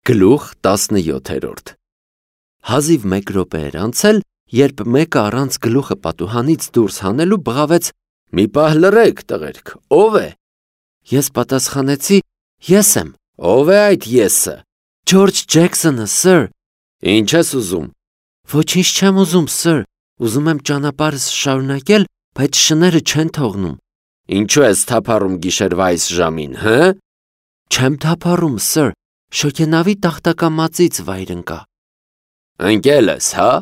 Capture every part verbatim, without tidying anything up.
Գլուխ տասնյոթերորդ Հազիվ մեկ րոպե էր անցել, երբ մեկը առանց գլուխը պատուհանից դուրս հանելու բղավեց. «Մի պահ լռեք, տղերք, ո՞վ է»։ Ես պատասխանեցի. «Ես եմ»։ «Ո՞վ է այդ եսը»։ «Ջորջ Ջեքսոնը, սըր»։ «Ինչ ես ուզում»։ «Ոչինչ չեմ ուզում, սըր, ուզում եմ ճանապարհս շարունակել, բայց շները չեն թողնում»։ «Ինչու ես թափառում գիշերվա այս ժամին, հը»։ «Չեմ թափառում, սըր, շոգենավի տախտակամածից վայր ընկա»։ «Ընկել ես, հա՞։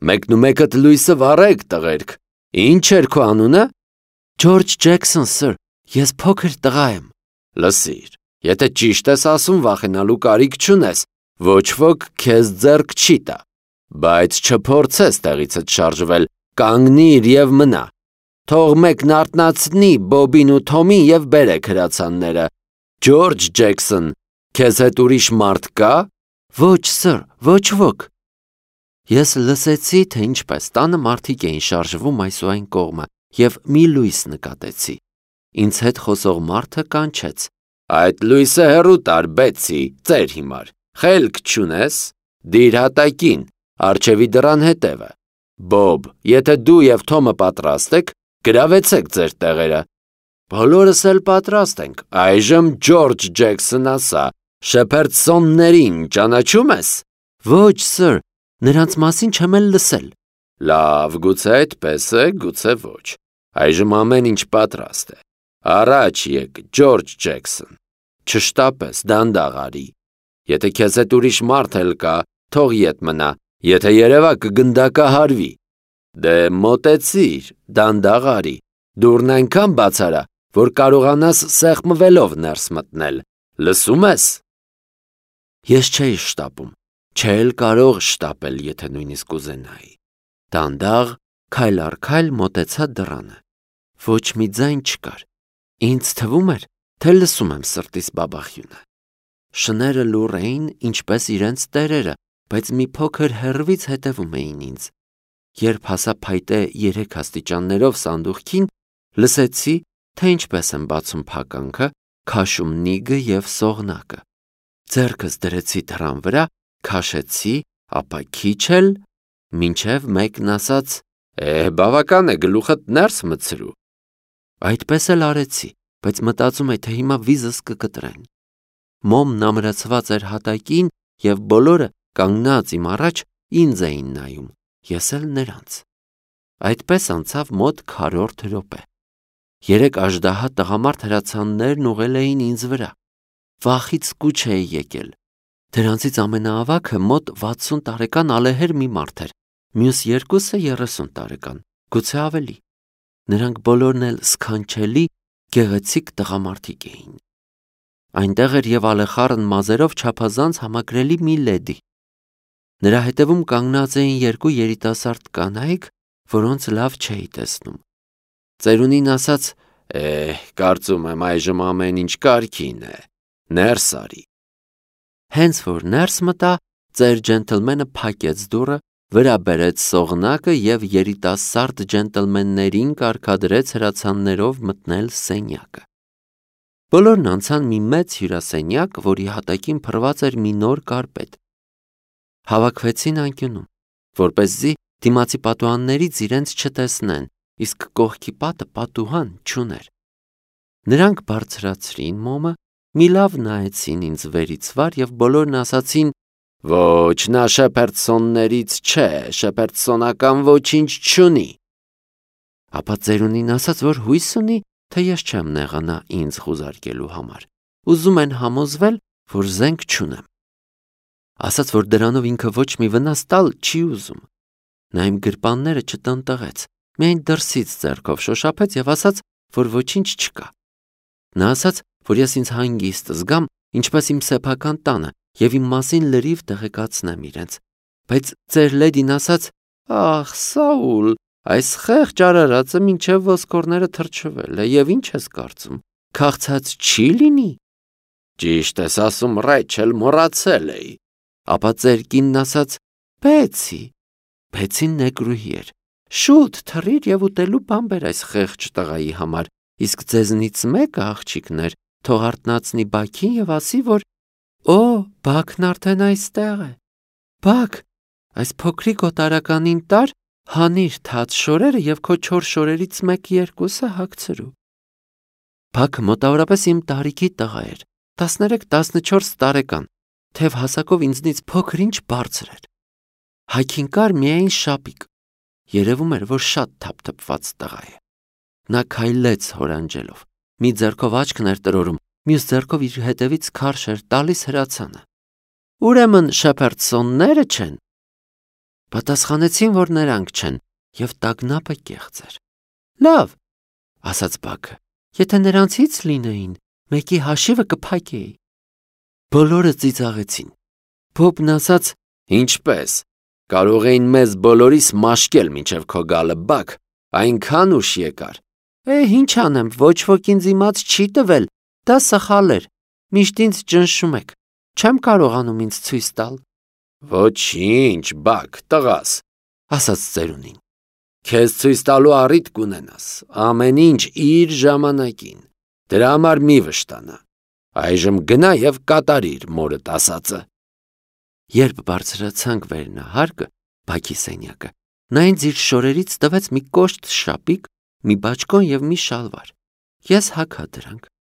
Մեկնումեկդ լույսը վառեք, տղերք։ Ինչ էր քո անունը»։ «Ջորջ Ջեքսոն, սըր, ես փոքր տղա եմ»։ «Լսիր, եթե ճիշտ ես ասում, վախենալու կարիք չունես, ոչ ոք քեզ ձեռք չի տա, բայց չփորձես տեղիցդ շարժվել, կանգնիր և մնա։ Թող մեկն արթնացնի Բոբին ու Թոմին և բերեք հրացանները։ Ջորջ Ջեքսոն, քեզ հետ ուրիշ մարդ կա»։ «Ոչ, սըր, ոչ ոք»։ Ես լսեցի, թե ինչպես տանը մարդիկ էին շարժվում այս ու այն կողմը և մի լույս նկատեցի։ Ինձ հետ խոսող մարդը կանչեց. «Այդ լույսը հեռու տար, Բեցի, ծեր հիմար, խելք չունես, դիր հատակին, առջևի դռան հետևը։ Բոբ, եթե դու և Թոմը պատրաստ եք, գրավեցեք ձեր տեղերը»։ «Բոլորս էլ պատրաստ ենք, այժմ Ջորջ Ջեքսոն ասա, Շեփերդսոններին ճանաչում ես»։ «Ոչ, սըր, նրանց մասին չեմ էլ լսել»։ «Լավ, գուցե այդպես է, գուցե ոչ, այժմ ամեն ինչ պատրաստ է։ Առաջ եկ, Ջորջ Ջեքսոն, չշտապես, դանդաղ արի։ Եթե քեզ հետ ուրիշ մարդ էլ կա, թող ետ մնա, եթե երևա կգնդակահարվի։ Դե մոտեցիր, դանդաղ արի, դուռն այնքան բաց արա, որ կարողանաս սեղմվելով ներս մտնել, լսում ես»։ Ես չէի շտապում, չէի կարող շտապել, եթե նույնիսկ ուզենայի։ Դանդաղ, քայլ առ քայլ մոտեցա դռանը։ Ոչ մի ձայն չկար։ Ինձ թվում էր, թե լսում եմ սրտիս բաբախյունը։ Շները լուռ էին, ինչպես իրենց տերերը, բայց մի փոքր հեռվից հետևում էին ինձ։ Երբ հասա փայտե երեք աստիճաններով սանդուղքին, լսեցի, թե ինչպես եմ բացում փականքը, քաշում նիգը և սողնակը։ Ձեռքս դրեցի դռան վրա, քաշեցի, ապա քիչ էլ, մինչև մեկն ասաց. «Է, բավական է, գլուխդ ներս մտցրու»։ Այդպես էլ արեցի, բայց մտածում էի, թե հիմա վիզս կկտրեն։ Մոմն ամրացված էր հատակին և բոլորը կանգնած իմ առաջ ինձ էին նայում, ես էլ նրանց։ Այդպես անցավ մոտ քառորդ րոպե։ Երեք աժդահա տղամարդ հրացաններն ուղղել էին ինձ վրա։ Վախից կուչ էի եկել։ Դրանցից ամենաավագը մոտ վաթսուն տարեկան ալեհեր մի մարդ էր, մյուս երկուսը երեսուն տարեկան, գուցե ավելի։ Նրանք բոլորն էլ սքանչելի, գեղեցիկ տղամարդիկ էին։ Այնտեղ էր և ալեխառն մազերով չափազանց համակրելի մի լեդի։ Նրա հետևում կանգնած էին երկու երիտասարդ կանայք, որոնց լավ չէի տեսնում։ Ծերունին ասաց. «Է, կարծում եմ այժմ ամեն ինչ կարգին է, ներս արի»։ Հենց որ ներս մտա, ծեր ջենտլմենը փակեց դուռը, վրա բերեց սողնակը և երիտասարդ ջենտլմեններին կարգադրեց հրացաններով մտնել սենյակը։ Բոլորն անցան մի մեծ հյուրասենյակ, որի հատակին փռված էր մի նոր կարպետ։ Հավաքվեցին անկյունում, որպեսզի դիմացի պատուհաններից իրենց չտեսնեն, իսկ կողքի պատը պատուհան չուներ։ Նրանք բարձրացրին մոմը, մի լավ նայեցին ինձ վերից վար և բոլորն ասացին. «Ոչ, նա Շեփերդսոններից չէ, շեփերդսոնական ոչինչ չունի»։ Ապա ծերունին ասաց, որ հույս ունի, թե ես չեմ նեղանա ինձ խուզարկելու համար, ուզում են համոզվել, որ զենք չունեմ։ Ասաց, որ դրանով ինքը ոչ մի վնաս տալ չի ուզում։ Նա իմ գրպանները չտնտղեց, միայն դրսից ձեռքով շոշափեց և ասաց, որ ոչինչ չկա։ Նա ասաց, որ ես ինձ հանգիստ զգամ, ինչպես իմ սեփական տանը, և իմ մասին լրիվ տեղեկացնեմ իրենց։ Բայց ծեր լեդին ասաց. «Ախ, Սաուլ, այս խեղճ արարածը մինչև ոսկորները թրջվել է, և ինչ ես կարծում, քաղցած չի լինի»։ «Ճիշտ ես ասում, Ռեյչել, մոռացել էի»։ Ապա ծեր կինն ասաց. «Բեցի»։ Բեցին նեկրուհի էր։ «Շուտ թռիր և ուտելու բան բեր այս խեղճ տղայի համար, իսկ ձեզնից մեկը, աղջիկներ, թող արթնացնի Բաքին և ասի, որ»։ «Օ, Բաքն արդեն այստեղ է։ Բաք, այս փոքրիկ օտարականին տար, հանիր թաց շորերը և քո չոր շորերից մեկ երկուսը հագցրու։ Բաքը մոտավորապես իմ տարիքի տղա էր, տասներեք տասնչորս տարեկան, թեև հասակով ինձնից փոքր-ինչ բարձր էր։ Հայքին կար միայն շապիկ, երևում էր, որ շատ թափթփված տղա է։ Նա քայլեց հորանջելով, մի ձեռքով աչքն էր տրորում, մյուս ձեռքով իր հետևից քարշ էր տալիս հրացանը։ Ուրեմն Շեփերդսոնները չեն։ Պատասխանեցին, որ նրանք չեն, և տագնապը կեղծ էր։ Լավ, ասաց Բաքը, եթե նրանցից լինեին, մեկի հաշիվը կփակեի։ Բոլորը ծիծաղեցին։ Բոբն ասաց. Ինչպես, կարող էին մեզ բոլորիս մաշկել մինչև քո գալը, Բաք, այնքան ուշ եկար։ Է, ինչ անեմ, ոչ ոք ինձ իմաց չի տվել, դա սխալ էր, միշտ ինձ ճնշում եք, չեմ կարողանում ինձ ցույց տալ։ Ոչինչ, Բաք, տղաս, ասաց ծերունին։ Քեզ ցույց տալու առիթ կունենաս, ամեն ինչ իր ժամանակին, դրա համար մի վշտանա, այժմ գնա և կատարիր մորդ ասածը։ Երբ բարձրացանք վերնահարկը, Բաքի սենյակը, նա ինձ իր շորերից տվեց մի կոշտ շապիկ, մի բաճկոն և մի շալվար։ Ես հագա դրանք։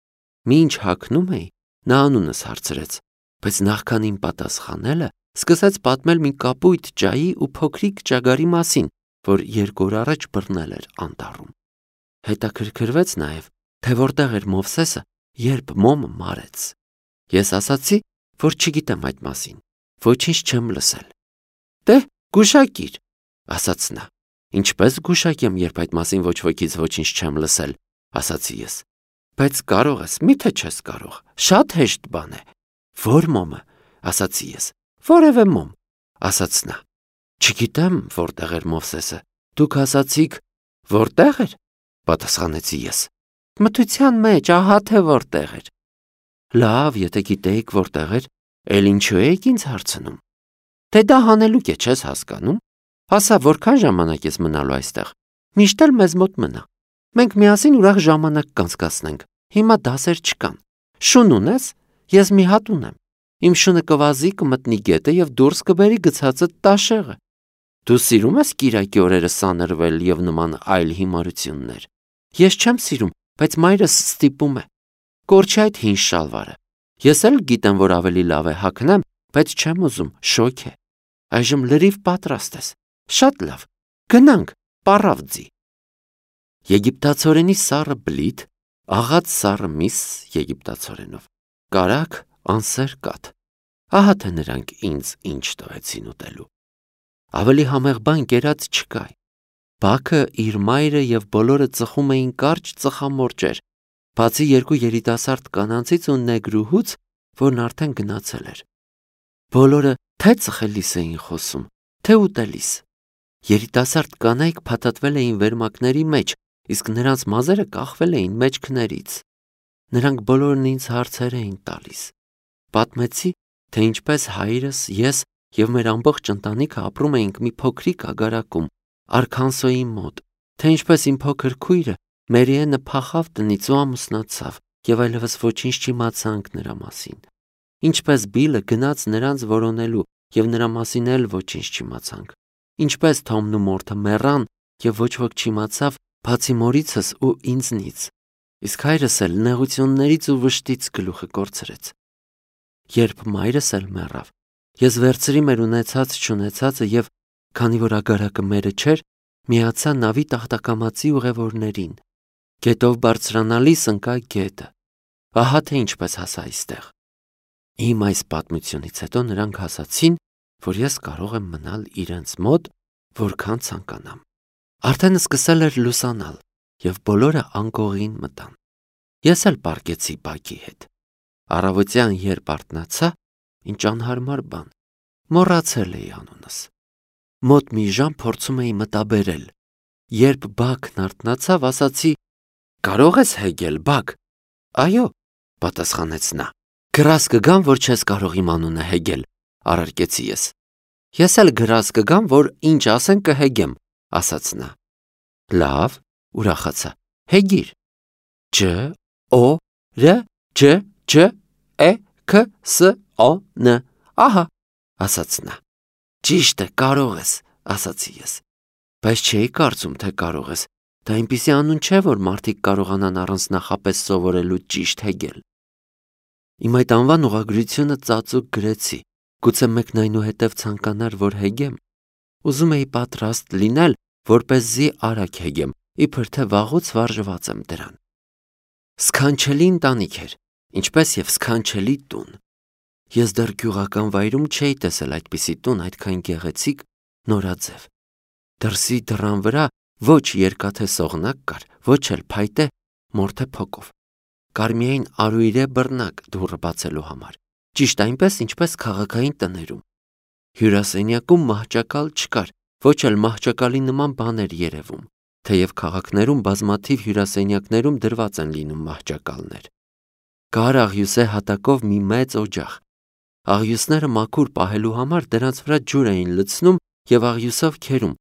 Մինչ հագնում էի, նա անունս հարցրեց, բայց նախքան իմ պատասխանելը, սկսեց պատմել մի կապույտ ջայի ու փոքրիկ ճագարի մասին, որ երկու օր առաջ բռնել էր անտառում։ Հետաքրքրվեց նաև, թե որտեղ էր Մովսեսը, երբ մոմը մարեց։ Ես ասացի, որ չգիտեմ այդ մասին, ոչինչ չեմ լսել։ Դե, գուշակիր, ասաց նա։ Ինչպես գուշակեմ, երբ այդ մասին ոչ ոքից ոչինչ չեմ լսել, ասացի ես։ Բայց կարող ես, միթե չես կարող, շատ հեշտ բան է։ Որ մոմը, ասացի ես։ Որևէ մոմ, ասաց նա։ Չգիտեմ, որտեղ էր Մովսեսը։ Դուք ասացիք, որտեղ էր, պատասխանեցի ես։ Մթության մեջ, ահա թե որտեղ էր։ Լավ, եթե գիտեիք որտեղ էր, էլ ինչու եք ինձ հարցնում։ Թե դա հանելուկ է, չես հասկանում։ Ասա, որքան ժամանակ ես մնալու այստեղ։ Միշտ էլ մեզ մոտ մնա։ Մենք միասին ուրախ ժամանակ կանցկացնենք։ Հիմա դասեր չկան։ Շուն ունես, ես մի հատ ունեմ։ Իմ շունը կվազի, կմտնի գետը և դուրս կբերի գցածդ տաշեղը։ Դու սիրում ես կիրակի օրերը սանրվել և նման այլ հիմարություններ։ Ես չեմ սիրում, բայց մայրս ստիպում է։ Կորչի այդ հին շալվարը։ Ես էլ գիտեմ, որ ավելի լավ է հագնեմ, բայց չեմ ուզում, շոգ է։ Այժմ լրիվ պատրաստ ես։ Շատ լավ, գնանք, պառավ ձի։ Եգիպտացորենի սառը բլիթ, աղած սառը միս եգիպտացորենով, կարագ, անսեր կաթ։ Ահա թե նրանք ինձ ինչ տվեցին ուտելու։ Ավելի համեղ բան կերած չկա։ Բաքը, իր մայրը և բոլորը ծխում էին կարճ ծխամորճեր, բացի երկու երիտասարդ կանանցից ու նեգրուհուց, որն արդեն գնացել էր։ Բոլորը թե ծխելիս էին խոսում, թե ուտելիս։ Երիտասարդ կանայք փաթաթվել էին վերմակների մեջ, իսկ նրանց մազերը կախվել էին մեջքներից։ Նրանք բոլորն ինձ հարցեր էին տալիս։ Պատմեցի, թե ինչպես հայրս, ես և մեր ամբողջ ընտանիքը ապրում էինք մի փոքրիկ ագարակում, Արքանսոյի մոտ, թե ինչպես իմ փոքր քույրը Մերիենը փախավ տնից ու ամուսնացավ, և այլևս ոչինչ չիմացանք նրա մասին։ Ինչպես Բիլը գնաց նրանց որոնելու, և նրա մասին էլ ոչինչ չիմացանք։ Ինչպես Թոմն ու Մորթը մեռան, և ոչ ոք չիմացավ, բացի մորիցս ու ինձնից։ Իսկ հայրս էլ նեղություններից ու վշտից գլուխը կորցրեց։ Երբ մայրս էլ մեռավ, ես վերցրի մեր ունեցած-չունեցածը և, քանի որ ագարակը մերը չէր, միացա նավի տախտակամածի ուղևորներին։ Գետով բարձրանալիս ընկա գետը։ Ահա թե ինչպես հասա այստեղ։ Իմ այս պատմությունից հետո նրանք ասացին, որ ես կարող եմ մնալ իրենց մոտ, որքան ցանկանամ։ Արդեն սկսել էր լուսանալ, և բոլորը անկողին մտան։ Ես էլ պառկեցի Բաքի հետ։ Առավոտյան երբ արթնացա, ինչ անհարմար բան, մոռացել էի անունս։ Մոտ մի ժամ փորձում էի մտաբերել։ Երբ Բաքն արթնացավ, ասացի. «Կարող ես հեգել, Բաք»։ «Այո», պատասխանեց նա։ «Գրազ կգամ, որ չես կարող իմ անունը հեգել», առարկեցի ես։ «Ես էլ գրազ կգամ, որ ինչ ասեն կհեգեմ», ասաց նա։ «Լավ», ուրախացա, հեգիր։ Ջ օ ր ջ ջ է ք ս օ ն Ահա, ասաց նա։ Ճիշտ է, կարող ես, ասացի ես։ Բայց չէի կարծում, թե կարող ես։ Դա այնպիսի անուն չէ, որ մարդիկ կարողանան առանց նախապես սովորելու ճիշտ հեգել։ Իմ այդ անվան ուղղագրությունը ծածուկ գրեցի, գուցե մեկն այնուհետև ցանկանար, որ հեգեմ։ Ուզում էի պատրաստ լինել, որպեսզի արագ հեգեմ, իբր թե վաղուց վարժված եմ դրան։ Սքանչելի ընտանիք էր, ինչպես եւ սքանչելի տուն։ Ես դեռ գյուղական վայրում չէի տեսել այդպիսի տուն այդքան գեղեցիկ, նորաձև։ Դրսի դռան վրա ոչ երկաթե սողնակ կար, ոչ էլ փայտե մորթե փոկով։ Կար միայն արույրե բռնակ դուռը բացելու համար, ճիշտ այնպես, ինչպես քաղաքային տներում։ Հյուրասենյակում մահճակալ չկար, ոչ էլ մահճակալի նման բաներ երևում, թեև քաղաքներում բազմաթիվ հյուրասենյակներում դրված են լինում մահճակալներ։ Կար աղյուսե հատակով մի մեծ օջախ։ Աղյուսները մաքուր պահելու համար դրանց վրա ջուր էին լցնում եւ աղյուսով քերում,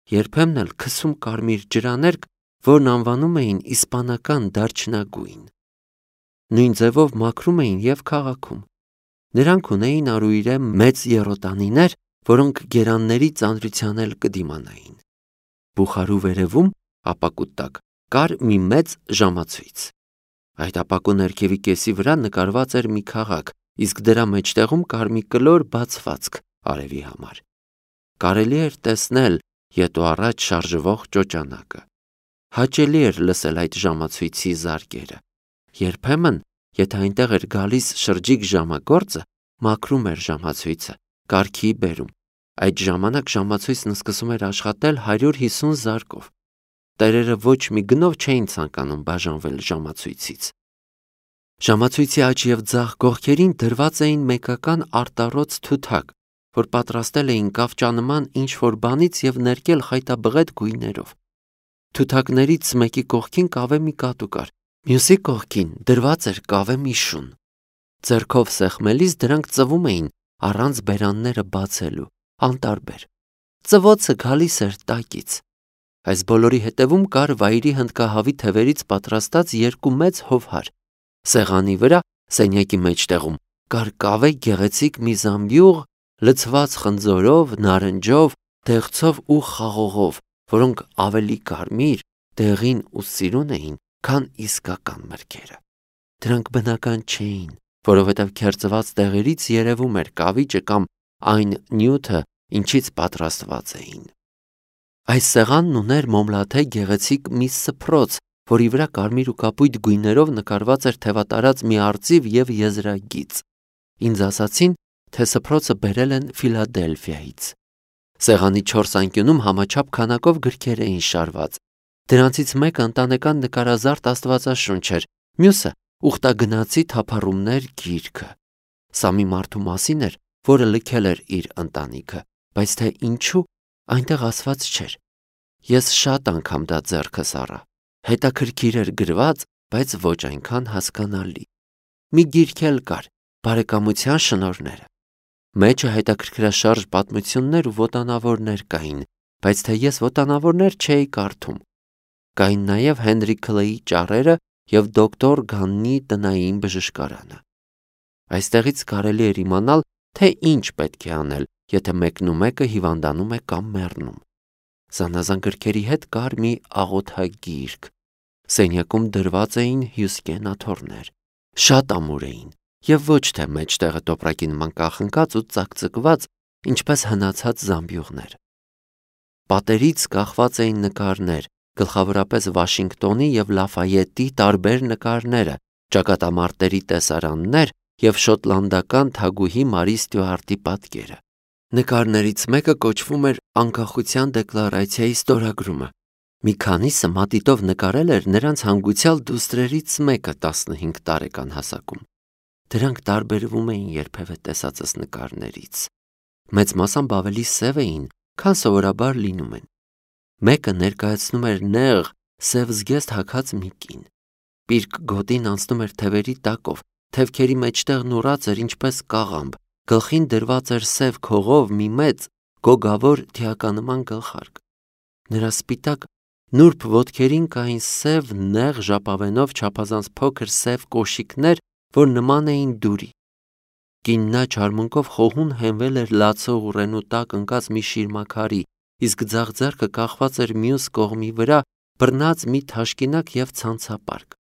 երբեմն էլ քսում կարմիր ջրաներկ, որն անվանում էին իսպանական դարչնագույն։ Նույն ձևով մաքրում էին եւ քաղաքում։ Նրանք ունեին արույրե մեծ եռոտանիներ, որոնք գերանների ծանրության էլ կդիմանային։ Բուխարու վերևում, ապակու տակ, կար մի մեծ ժամացույց։ Այդ ապակու ներքևի կեսի վրա նկարված էր մի քաղաք, իսկ դրա մեջտեղում կար մի կլոր բացվածք արևի համար։ Կարելի էր տեսնել ետո առաջ շարժվող ճոճանակը։ Հաճելի էր լսել այդ ժամացույցի զարկերը։ Երբեմն, եթե այնտեղ էր գալիս շրջիկ ժամագործը, մաքրում էր ժամացույցը, կարգի բերում։ Այդ ժամանակ ժամացույցն սկսում էր աշխատել հարյուր հիսուն զարկով։ Տերերը ոչ մի գնով չէին ցանկանում բաժանվել ժամացույցից։ Ժամացույցի աջ եւ ձախ կողքերին դրված էին մեկական արտառոց թութակ, որ պատրաստել էին կավճանման ինչ-որ բանից եւ ներկել խայտաբղետ գույներով։ Թութակներից մեկի կողքին կավե մի կատու կար, մյուսի կողքին դրված էր կավե մի շուն։ Ձեռքով սեղմելիս դրանք ծվում էին առանց բերանները բացելու, անտարբեր։ Ծվոցը գալիս էր տակից։ Այս բոլորի հետևում կար վայրի հնդկահավի թևերից պատրաստած երկու մեծ հովհար։ Սեղանի վրա, սենյակի մեջտեղում, կար կավե գեղեցիկ մի զամբյուղ, լցված խնձորով, նարնջով, դեղցով ու խաղողով, որոնք ավելի կարմիր, դեղին ու սիրուն էին, քան իսկական մրգերը։ Դրանք բնական չէին, որովհետև քերծված տեղերից երևում էր կավիճը կամ այն նյութը, ինչից պատրաստված էին։ Այս սեղանն ուներ մոմլաթե գեղեցիկ մի սփռոց, որի վրա կարմիր ու կապույտ գույներով նկարված էր թևատարած մի արծիվ եւ եզրագիծ։ Ինձ ասացին, թե սփռոցը բերել են Ֆիլադելֆիայից։ Սեղանի չորս անկյունում համաչափ քանակով գրքեր էին շարված։ Դրանցից մեկը ընտանեկան նկարազարդ աստվածաշունչ էր, մյուսը ուխտագնացի թափառումներ գիրքը։ Սա մի մարդու մասին էր, որը լքել էր իր ընտանիքը, բայց թե ինչու, այնտեղ ասված չէր։ Ես շատ անգամ դա ձեռքս առա։ Հետաքրքիր էր գրված, բայց ոչ այնքան հասկանալի։ Մի գիրք էլ կար, բարեկամության շնորհները։ Մեջը հետաքրքրաշարժ պատմություններ ու ոտանավորներ կային, բայց թե ես ոտանավորներ չէի կարդում։ Կային նաև Հենրի Քլեյի ճառերը եւ դոկտոր Գաննի տնային բժշկարանը։ Այստեղից կարելի էր իմանալ, թե ինչ պետք է անել, եթե մեկն ու մեկը հիվանդանում է կամ մեռնում։ Զանազան գրքերի հետ կար մի աղոթագիրք։ Սենյակում դրված էին հյուսկեն աթոռներ, շատ ամուր էին եւ ոչ թե մեջտեղը տոպրակի նման կախնկած ու ծակծկված, ինչպես հնացած զամբյուղներ։ Պատերից կախված էին նկարներ, գլխավորապես Վաշինգտոնի եւ Լաֆայետի տարբեր նկարները, ճակատամարտերի տեսարաններ եւ շոտլանդական թագուհի Մարի Ստյուարտի պատկերը։ Նկարներից մեկը կոչվում էր Անկախության դեկլարացիայի ստորագրումը։ Մի քանիսը մատիտով նկարել էր նրանց հանգուցյալ դուստրերից մեկը տասնհինգ տարեկան հասակում։ Դրանք տարբերվում էին երբևէ տեսածս նկարներից։ Մեծ մասամբ ավելի սև էին, քան սովորաբար լինում են։ Մեկը ներկայացնում էր նեղ, սև զգեստ հագած մի կին։ Պիրկ գոտին անցնում էր թևերի տակով, թևքերի մեջտեղն ուռած էր ինչպես կաղամբ, գլխին դրված էր սև քողով մի մեծ, գոգավոր թիականման գլխարկ։ Նրա սպիտակ նուրբ ոտքերին կային սև նեղ ժապավենով չափազանց փոքր սև կոշիկներ, որ նման էին դուրի։ Կինն աջ արմունկով խոհուն հենվել էր լացող ուռենու տակ ընկած մի շիրմաքարի, իսկ ձախ ձեռքը կախված էր մյուս կողմի վրա, բռնած մի թաշկինակ և ցանցապարկ։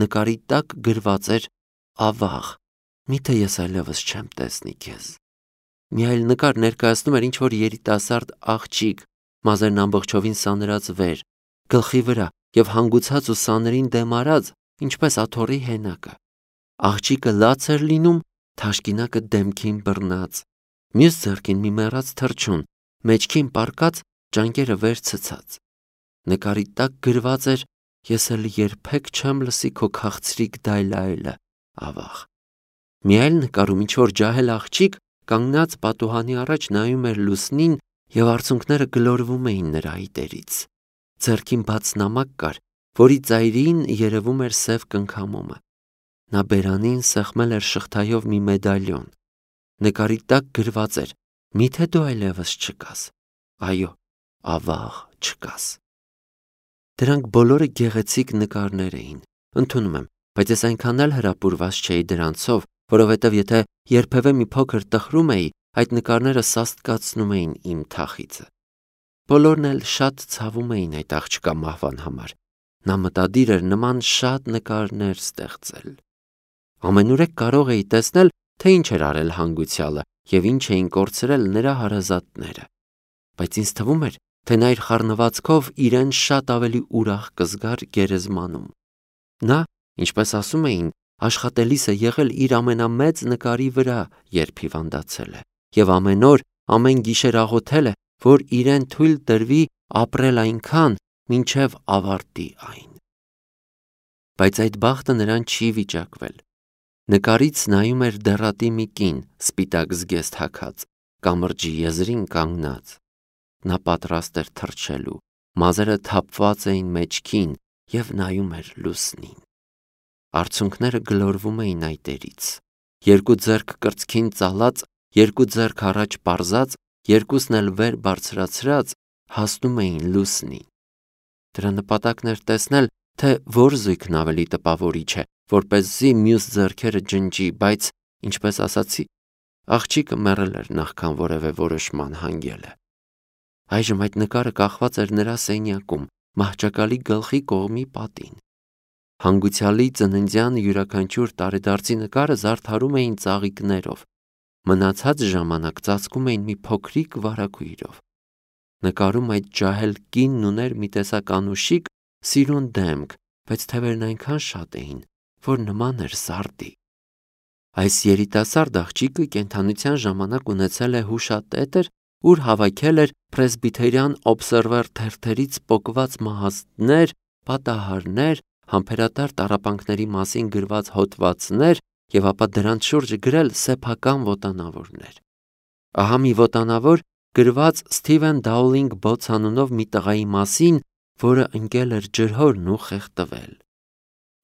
Նկարի տակ գրված էր ավաղ, միթե ես այլևս չեմ տեսնի քեզ։ Մի այլ նկար ներկայացնում էր ինչ-որ երիտասարդ աղջիկ, մազերն ամբողջովին սանրած վեր, գլխի վրա և հանգուցած ու սաներին դեմ արած, ինչպես աթոռի հենակը։ Աղջիկը լաց էր լինում, թաշկինակը դեմքին բռնած, մյուս ձեռքին մի մեռած թռչուն, մեջքին պառկած, ճանկերը վեր ցցած։ Նկարի տակ գրված էր. ես էլ երբեք չեմ լսի քո քաղցրիկ դայլայելը, ավաղ։ Մի այլ նկարում ինչ-որ ջահել աղջիկ կանգնած պատուհանի առաջ նայում էր լուսնին և արցունքները գլորվում էին նրա այտերից։ Ձեռքին բաց նամակ կար, որի ծայրին երևում էր սև կնքամոմը։ Նա բերանին սեղմել էր շղթայով մի մեդալյոն։ Նկարի տակ գրված էր. միթե դու այլևս չկաս։ Այո, ավաղ չկաս։ Դրանք բոլորը գեղեցիկ նկարներ էին, ընդունում եմ, բայց ես այնքան էլ հրապուրված չէի դրանցով, որովհետև եթե երբևէ մի փոքր տխրում էի, այդ նկարները սաստկացնում էին իմ թախիծը։ Բոլորն էլ շատ ցավում էին այդ աղջկա մահվան համար։ Նա մտադիր էր նման շատ նկարներ ստեղծել։ Ամենուրեք կարող էի տեսնել, թե ինչ էր արել հանգուցյալը և ինչ էին կորցրել նրա հարազատները։ Բայց ինձ թվում էր, թե նա իր խառնվածքով իրեն շատ ավելի ուրախ կզգար գերեզմանում։ Նա, ինչպես ասում էին, աշխատելիս է եղել իր ամենամեծ նկարի վրա, երբ հիվանդացել է, և ամեն օր, ամեն գիշեր աղոթել է, որ իրեն թույլ տրվի ապրել այնքան, մինչև ավարտի այն։ Բայց այդ բախտը նրան չի վիճակվել։ Նկարից նայում էր դեռատի մի կին, սպիտակ զգեստ հագած, կամրջի եզրին կանգնած։ Նա պատրաստ էր թռչելու, մազերը թափված էին մեջքին և նայում էր լուսնին։ Արցունքները գլորվում էին այտերից։ Երկու ձեռք կրծքին ծալած, երկու ձեռք առաջ պարզած, երկուսն էլ վեր բարձրացրած, հասնում էին լուսնին։ Դրա նպատակն էր տեսնել, թե որ զույգն ավելի տպավորիչ է, որպեսզի մյուս ձեռքերը ջնջի, բայց, ինչպես ասացի, աղջիկը մեռել էր նախքան որևէ որոշման հանգել է։ Այժմ այդ նկարը կախված էր նրա սենյակում, մահճակալի գլխի կողմի պատին։ Հանգուցյալի ծննդյան յուրաքանչյուր տարեդարձի նկարը զարդարում էին ծաղիկներով, մնացած ժամանակ ծածկում էին մի փոքրիկ վարագույրով։ Նկարում այդ ջահել կինն ուներ մի տեսակ անուշիկ, սիրուն դեմք, բայց թևերն այնքան շատ էին, որ նման էր սարդի։ Այս երիտասարդ աղջիկը կենդանության ժամանակ ունեցել է հուշատետր, ուր հավաքել էր պրեսբիթերյան օբսերվեր թերթերից պոկված մահազդներ, պատահարներ, համբերատար տառապանքների մասին գրված հոդվածներ և ապա դրանց շուրջը գրել սեփական ոտանավորներ։ Ահա մի ոտանավոր գրված Սթիվեն Դաուլինգ Բոթս անունով մի տղայի մասին, որը ընկել էր ջրհորն ու խեղդվել։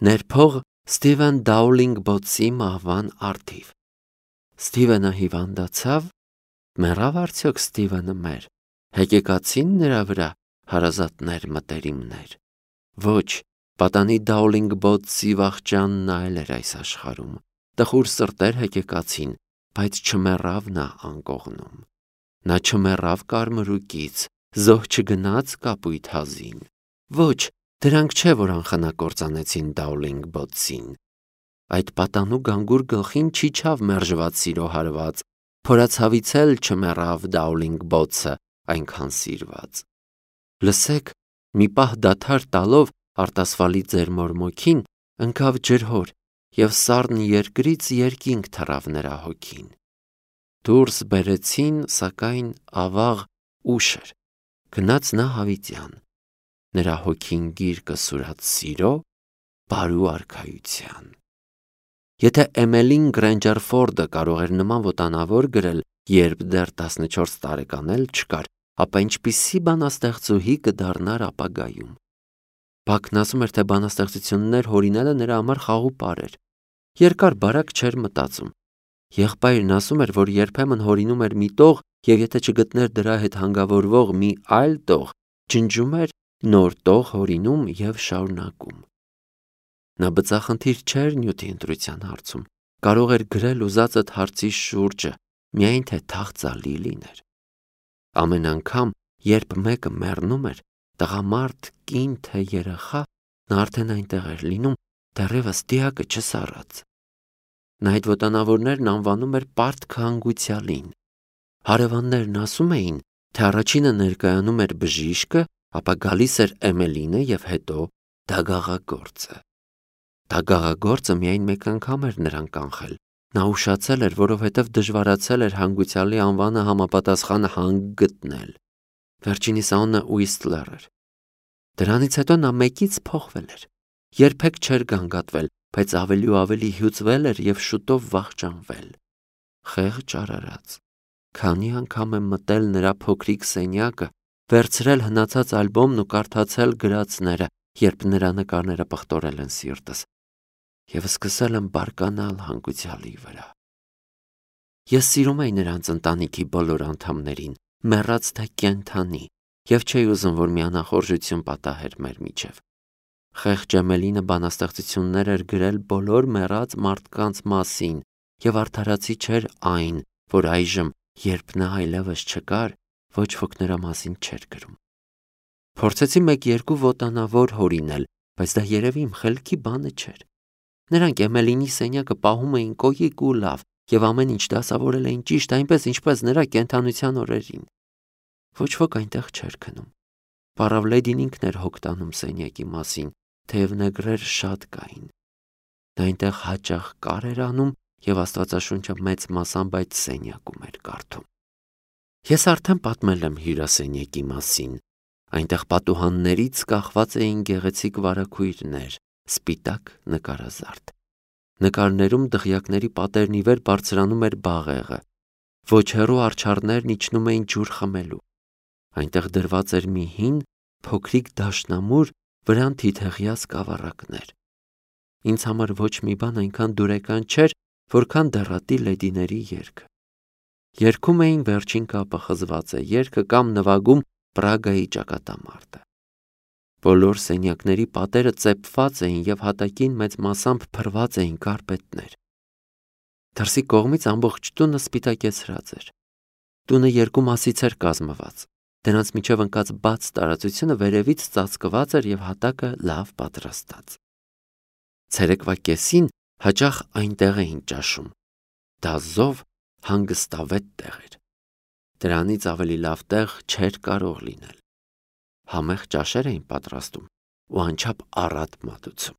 Ներփող Սթիվեն Դաուլինգ Բոթսի մահվան առթիվ։ Սթիվենը հիվանդացավ։ Մեռավ արդյոք Սթիվենը մեր։ Հեկեկացին նրա վրա հարազատներ մտերիմներ։ Ոչ, պատանի Դաուլինգ Բոթսի վախճանն այլ էր այս աշխարհում։ Տխուր սրտեր հեկեկացին, բայց չմեռավ նա անկողնում։ Նա չմեռավ կարմրուկից, զոհ չգնաց կապույտ հազին։ Ոչ, դրանք չէ, որ անխնա-կործանեցին Դաուլինգ Բոթսին։ Այդ պատանու գանգուր գլխին չիջավ մերժված սիրո հարված, փորացավից էլ չմեռավ Դաուլինգ Բոթսը այնքան սիրված։ Լսեք, մի պահ դադար տալով արտասվալի ձեր մորմոքին, ընկավ ջրհոր և սառն երկրից երկինք թռավ նրա հոգին։ Դուրս բերեցին, սակայն ավաղ ուշ էր, գնաց նա հավիտյան։ Նրա հոգին գիրկը սուրաց սիրո, բարու արքայության։ Եթե Էմելին Գրենջեր Ֆորդը կարող էր նման ոտանավոր գրել, երբ դեռ տասնչորս տարեկան էլ չկար, ապա ինչպիսի բանաստեղծուհի կդառնար ապագայում։ Բաքն ասում էր, թե բանաստեղծություններ հորինելը նրա համար խաղուպար էր։ Երկար-բարակ չէր մտածում։ Եղբայրն ասում էր, որ երբեմն հորինում էր մի տող և եթե չգտներ դրա հետ հանգավորվող մի այլ տող, ջնջում էր, նոր տող հորինում և շարունակում։ Նա բծախնդիր չէր նյութի ընտրության հարցում, կարող էր գրել ուզածդ հարցի շուրջը, միայն թե թախծալի լիներ։ Ամեն անգամ, երբ մեկը մեռնում էր, տղամարդ, կին թե երեխա, նա արդեն այնտեղ էր լինում, դեռևս դիակը չսառած։ Նա այդ ոտանավորներն անվանում էր պարտքը հանգուցյալին։ Հարևաններն ասում էին, թե առաջինը ներկայանում էր բժիշկը, ապա գալիս էր Էմելինը և հետո դագաղագործը։ Դագաղագործը միայն մեկ անգամ էր նրան կանխել։ Նա ուշացել էր, որովհետև դժվարացել էր հանգուցյալի անվանը համապատասխան հանք գտնել։ Վերջինիս անունը Ուիստլեր էր։ Դրանից հետո նա մեկից փոխվել էր։ Երբեք չէր գանգատվել, բայց ավելի ու ավելի հյուծվել էր և շուտով վախճանվել։ Խեղճ արարած։ Քանի անգամ եմ մտել նրա փոքրիկ սենյակը, վերցրել հնացած ալբոմն ու կարդացել գրածները, երբ նրա նկարները պղտորել են սիրտս, և սկսել եմ բարկանալ հանգուցյալի վրա։ Ես սիրում էի նրանց ընտանիքի բոլոր անդամներին, մեռած թե կենդանի, և չէի ուզում, որ մի անախորժություն պատահեր մեր միջև։ Խեղճ Էմելինը բանաստեղծություններ էր գրել բոլոր մեռած մարդկանց մասին, և արդարացի չէր այն, որ այժմ, երբ նա այլևս չկար, ոչ ոք նրա մասին չէր գրում։ Փորձեցի մեկ-երկու ոտանավոր հորինել, բայց դա երևի իմ խելքի բանը չէր։ Նրանք Էմելինի սենյակը պահում էին կոյիկ ու լավ, և ամեն ինչ դասավորել էին ճիշտ այնպես, ինչպես նրա կենդանության օրերին։ Ոչ ոք այնտեղ չէր քնում։ Պառավլեդին ինքն էր հոգ տանում սենյակի մասին, թեև նեգրեր շատ կային։ Նա այնտեղ հաճախ կար էր անում և Աստվածաշունչը մեծ մասամբ այդ սենյակում էր կարդում։ Ես արդեն պատմել եմ հյուրասենյակի մասին։ Այնտեղ պատուհաններից կախված էին գեղեցիկ վարագույրներ, սպիտակ նկարազարդ։ Նկարներում դղյակների պատերն ի վեր բարձրանում էր բաղեղը, ոչ հեռու արջառներն իջնում էին ջուր խմելու։ Այնտեղ դրված էր մի հին, փոքրիկ դաշնամուր, վրան թիթեղյա սկավառակներ։ Ինձ համար ոչ մի բան այնքան դուրեկան չէր, որքան դեռատի լեդիների երգը։ Երգում էին Վերջին կապը խզված է երգը կամ նվագում Պրագայի ճակատամարտը։ Բոլոր սենյակների պատերը ծեփված էին և հատակին մեծ մասամբ փռված էին կարպետներ։ Դրսի կողմից ամբողջ տունը սպիտակեցրած էր։ Տունը երկու մասից էր կազմված։ Դրանց միջև ընկած բաց տարածությունը վերևից ծածկված էր և հատակը լավ պատրաստած։ Ցերեկվա կեսին հաճախ այնտեղ էին ճաշում։ Դա զով հանգստավետ տեղ էր։ Դրանից ավելի լավ տեղ չէր կարող լինել։ Համեղ ճաշեր էին պատրաստում ու անչափ առատ մատուցում։